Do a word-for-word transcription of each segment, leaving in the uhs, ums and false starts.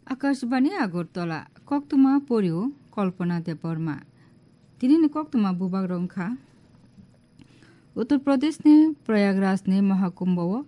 Akashbani Agartala, koktwma porio Kalpana Debbarma. Tinini koktwma bubagrok wngkha. Uttar Pradeshni Prayagrajni Mahakumbho-o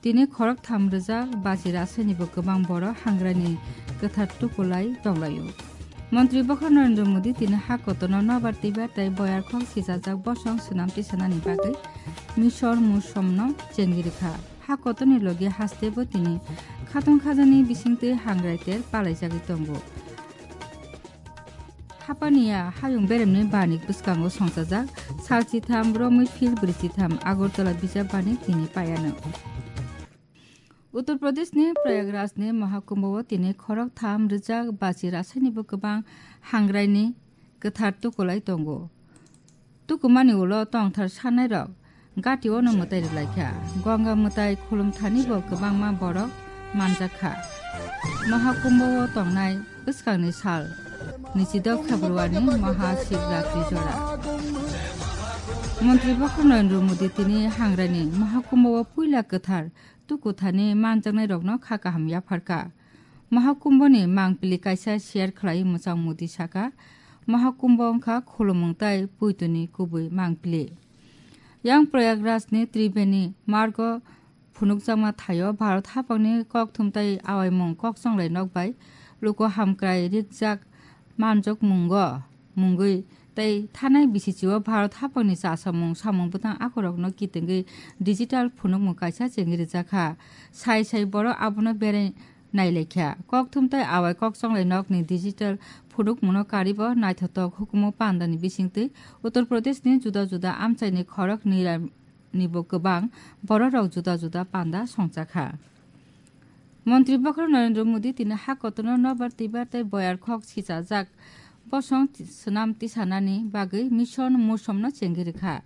tini khorok tham rwjak bachi rasainibo kwbang borok hangraini kwthar tukulai tonglaio. Montri bokhorok Narendra Modi tini ha kotorno nobar twibar tei boyar khok sichajak bosong swnam tisanani bagwi Mission Mosamno chengwi rwkha. Ha kotorni logi hastebo tini khatong khajani bisingtwi hangrai ter palaijagwi tongo. Hapaniya hayung beremni banik bwskango songchajak sal chitham romwi phil brwi chitham Agartala bijap banik tini paiano. Uttar Pradeshni Prayagrajni Mahakumbho-o tini khorok tham rwjak bachi rasainibo kwbang hangraini kwthar tukulai tongo. Tukumani ulo tongthar sanairok gati-o no mwtai rwlaikha. Ganga mwtai khulumthani bo kwbangma borok manjakha. Mahakumbho-o tongnai bwskangni sal nichidok February Mahashivratri jora. Montri bokhorok Narendra Modi tini hangraini Mahakumbho-o puila kwthar tukuthani manjaknairokno kha kaham yapharkha. Mahakumbhoni mangpili kaisa share khlai mwchang Modi saka, Mahakumbho wngkha khulumung tei puitoni kubui mangpili. Yang Prayagrajni Tribeni margo phunukjakma thaio Bharat haphangni kokthum tei awaimung kokchonglai nok bai luku hamkrai rikjak manjak mungo mungwi tei thanai bisichio Bharat haphangni chasamung samung bwtang akhorokno kitengwi digital phunukmung kaisa chengwi rijak kha. Sai sai borok abono berai nailaikha. Kokthum tei awai kokchonglai nokni digital phunukmungno karibo naithotok hukumu pandani bisingtwi Uttar Pradeshni juda juda amchaini khorok nira nibo kwbang bororok juda juda panda songchakha. Montri bokhorok Narendra Modi tini ha kotorno nobar twibar tei boyar khok sichajak bosong ti-, swnam tisanani bagwi Mission Mosamno chengwi rwkha.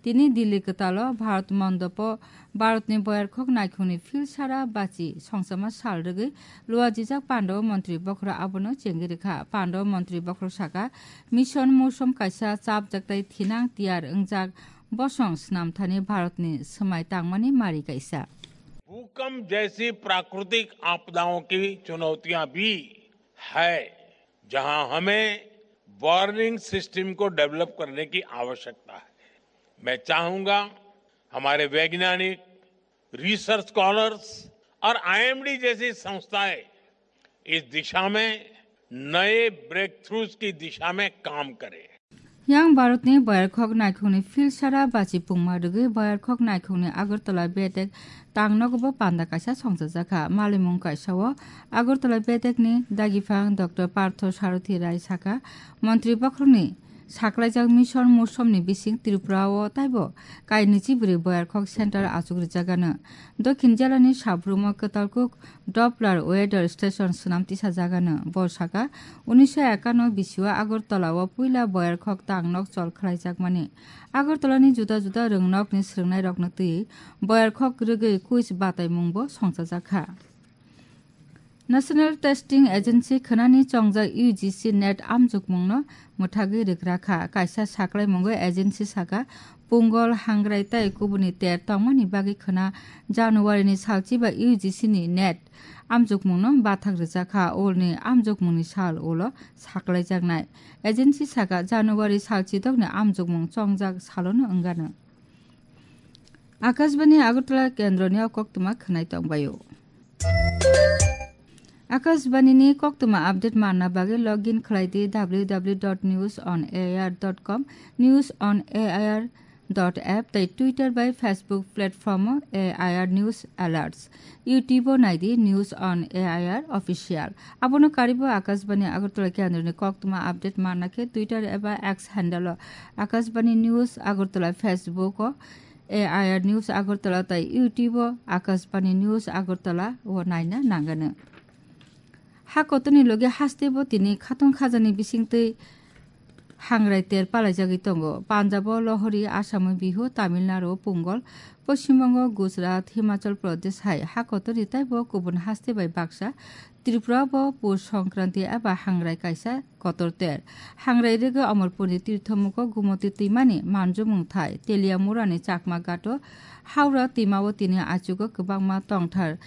Tini Delhi kwtalo Bharat Mondopo Bharatni boyar khok naikhungni field sara bachi songchama sal rwgwi luajijak pandao montri bokhorok abono chengwi rwkha. Pandao montri bokhorok saka, Mission Mosam kaisa chapjak tei thinang tiyar wngjak bosong swnamthani Bharatni swmai tangmani mari kaisa. भूकंप जैसी प्राकृतिक आपदाओं की चुनौतियां भी है, जहां हमें वार्निंग सिस्टम को डेवलप करने की आवश्यकता है। मैं चाहूंगा, हमारे वैज्ञानिक, रिसर्च स्कॉलर्स और आईएमडी जैसी संस्थाएं इस दिशा में नए ब्रेकथ्रूज की दिशा में काम करें। Yang Bharatni boyar khok naikhungni field sara bachi pungma rwgwi boyar khok naikhungni Agartala bedek tangnogo bo panda kaisa songchajakha. Malimung kaisa-o Agartala bedekni dagiphang Doctor Partho Sarathi Rai saka, montri bokhorokni saklaijak Mission Mosamni bising Tripura-o taibo kainwi chibrwi boyar khok center achuk rwjakgano. Dokhin jelani Sabrumo Kwtalkuk Doppler Weather Station swnam tisajagano. Bo saka, unisho ekano bisio Agartala-o puila boyar khok tangnok chol khlaijakmani. Agartala-ni juda juda rwngnokni swrwngnairokno twiwi boyar khok rwgwi quiz bataimungbo songchajakha. National Testing Agency khwnani chongjak U G C NET amjokmungno mwthagwi rwkrakha. Kaisa saklaimungo agency saka, Pungol, Hangrai tei kubuni ter tongmani bagwi khwna January-ni salchiba U G C-ni NET amjokmungno bathak rwjakha. Ulni amjokmungni sal ulo saklaijaknai. Agency saka, January salchidokni amjokmung chongjak salono wngano. Akashbani Agartala kendroni o koktwma khwnai tongbaio. Akashbani ni koktwma update manna bagwi login khlai di W W W dot news on A I R dot com, news on A I R dot app tei Twitter bai Facebook platform o A I R News Alerts. YouTube o nai di News on A I R Official. Abono karibo Akashbani Agartala kendroni koktwma update manna khe Twitter eba X handle o Akashbani News Agartala, Facebook o A I R News Agartala tei YouTube o Akashbani News Agartala o naina nangano. Ha kotorni logi hastebo tini khatong khajani bisingtwi hangrai ter palaijagwi tongo. Punjabo Lohori, Asamo Bihu, Tamil Nadu Pongal, Poschim Bongo, Gujarat, Himachal Pradesh hai ha kotorni teibo kubun haste bai baksa Tripura bo Pus Songkranti eba hangrai kaisa kotor ter. Hangrai rwgwi Omorpurni tirthomugo Gumoti twimani manjumung thai Teliamurani Chakma Ghato Howrah twimao tini achugo kwbangma tongthar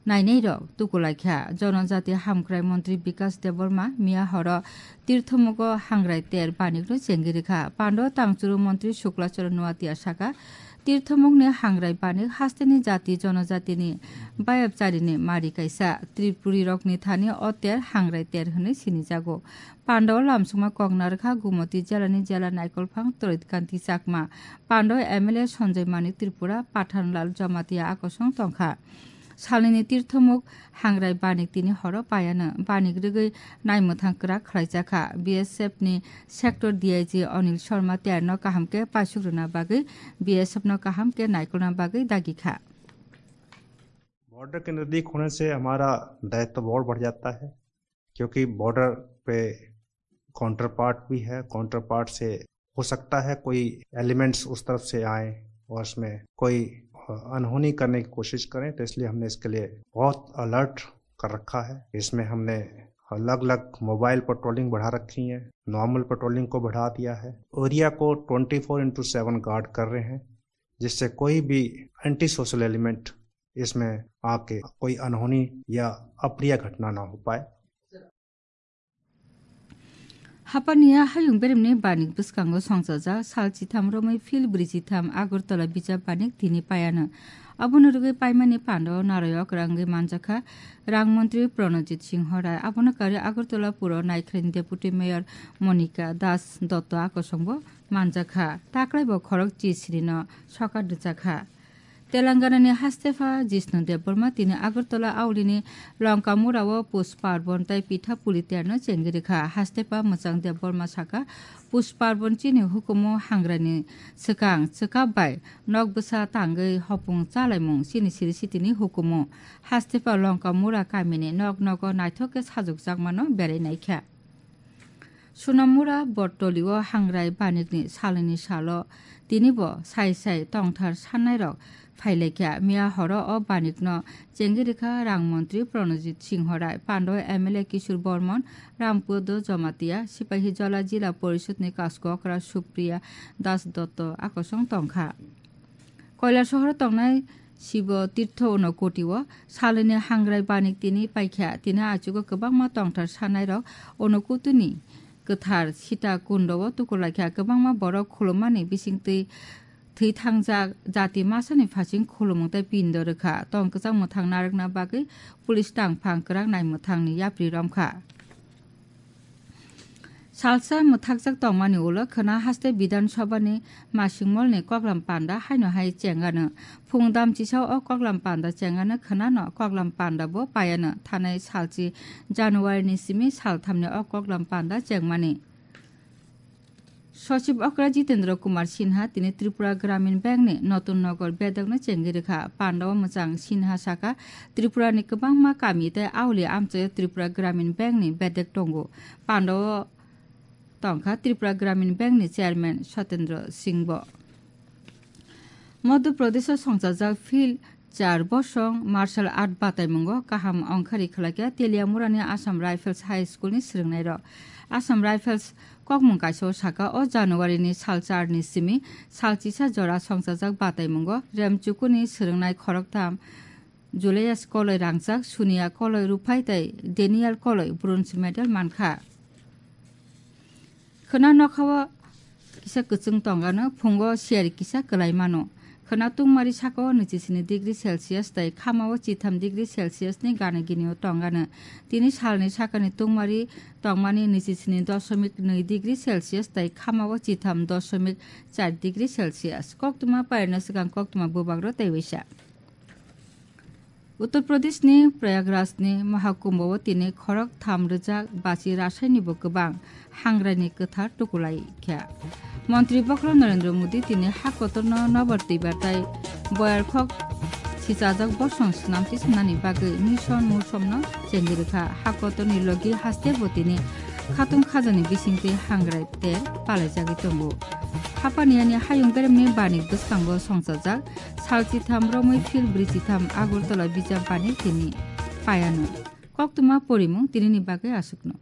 nainairok tukulaikha. Jonojati hamkrai montri Bikas Debbarma miya horo tirthomugo hangrai ter banikno chengwi rwkha. Pando tangchuru montri Suklacharan Noatia saka, tirthomukni hangrai banik hasteni jati jonojatini bayapcharini mari kaisa. Tripurirokni thani o ter hangrai ter hwnwi sinijago. Pandao lamsongma kok narwkha Gumoti jelani jela naikolphang Torit Kanti Chakma. Pandao M L A Sanjay Manik Tripura, Pathanlal Jamatia akosong tongkha. Salnini tirthomuk hangrai banik tini horo payano. Banik rwgwi naimwthang kwrak khlaijakha. B S F ni sector D I G Anil Sharma terno kaham khe paisuk rwna bagwi, B S F no kaham khe naikolna bagwi dagikha. Border के नज़दीक होने से हमारा दायित्व और बढ़ जाता है, क्योंकि बॉर्डर पे काउंटर पार्ट भी है। काउंटर पार्ट से हो सकता है कोई एलिमेंट्स उस तरफ से आए और उसमें कोई अनहोनी करने की कोशिश करें, तो इसलिए हमने इसके लिए बहुत अलर्ट कर रखा है। इसमें हमने अलग अलग मोबाइल पेट्रोलिंग बढ़ा रखी है, नॉर्मल पेट्रोलिंग को बढ़ा दिया है। एरिया को twenty four into seven guard कर रहे हैं, जिससे कोई भी एंटी सोशल एलिमेंट इसमें आके कोई अनहोनी या अप्रिय घटना ना हो पाए। Hapaniya hayung beremni banik bwskango songchajak sal chitham romwi phil brwi chitham Agartala bijap banik tini payano. Abono rwgwi paimani pando narayok rangwi manjakha rang montri Pranojit Singho Rai. Abono karwi Agartala puro naikhraini deputy mayor Monika Das Dotto akosongbo manjakha. Taklaibo khorok chi sirino sokat rwjakha. Telangana ni hastepha Jishnu Debbarma tini Agartala aulini Longkamura o Push Parbon tei Pitha Puli terno chengwi rwkha. Hastepha Mwchang Debbarma saka, Push Parbon chini hukumu hangrani swkang chwkap bai nok bwsa tangwi hopung chalaimung chini siri sitini hukumu. Hastepha Longkamura kamini nok nogo naithok khe sajwkjakmano berai naikha. Sunamura Botoli o hangrai banikni salnini salo tinibo sai sai tongthar sannairok phailaikha. Miya horo o banikno chengwi rwkha rang montri Pranojit Singho Rai, Pando M L A Kishore Bormon, Rampodo Jamatia, Sipahijola Jila Porishodni Kaskokra Supriya Das Dotto akosong tongkha. Koilasohoro tongnai Sibo Tirtho Unokoti o salini hangrai banik tini paikha. Tini achugo kwbangma tongthar sanairok Unokotini kwthar Sita Kundo o tukurlaikha. Kwbangma borok khulummani bisingtwi thwi thangjak jati masani phasing khulumung tei pindo rwkha. Tong kwchang mwthang narwkna bagwi police tangphang kwrak naimwthangni yapri romkha. Salsa mwthakjak tongmani ulo khwna haste Bidhan Sabhani masingmolni koklam panda haino hai chengano. Phung damchisa o koklam panda chengano khwnano koklam panda bo payano. Thanai salchi January ni simi salthamni o koklam panda chengmani. Sochib okra Jitendra Kumar Sinha tini Tripura Gramin Bank ni Notun Nogor bedokno chengwi rwkha. Pandao mwchang Sinha saka, Tripura ni kwbangma kami tei auli amchaio Tripura Gramin Bank ni bedek tongo. Pandao tongkha Tripura Gramin Bank ni Chairman Satendra Singh bo. Madhya Pradesh o songchajak Phil char bosong martial art bataimungo kaham ongkhari khlaikha Teliamurani Assam Rifles High School ni swrwngnairok. Assam Rifles kokmung kaisa o saka o January ni sal char ni simi sal chisa jora songchajak bataimungo Remchukuni swrwngnai khoroktham Julius Koloi Rangjak, Sunia Koloi Ruphai tei Daniel Koloi bronze medal mankha. Khwna nokhao kisa kwchwng tongano, phungo siyari kisa kwlai mano. Khwna tungmari sakao nwichi sini degree Celsius tei khamao chitham degree Celsius ni gana ginio tongano. Tini salni sakani tungmari tongmani nwichi sini dosomik nwi degree Celsius tei khamao chitham dosomik char degree Celsius. Koktwma pairwkna swkang koktwma bubagro tei waisa. Uttar Pradeshni Prayagrajni Mahakumbho-o tini khorok tham rwjak bachi rasainibo kwbang hangraini kwthar tukulai kha. Montri bokhorok Narendra Modi tini ha kotorno nobar twibar tai boyar khok sichajak bosong snamchi swnani bagwi mission musomno chengwi rwkha. Ha kotorni logi hastebo tini Khatung khajani bisingtwi hangrai ter palaijagwi tongo. Hapaniani hayung beremni bani bwskango songchajak salchitham romwi phil brwichitham Agartala bijap bani tini payano. Koktwma porimung tinini bagwi aswkno.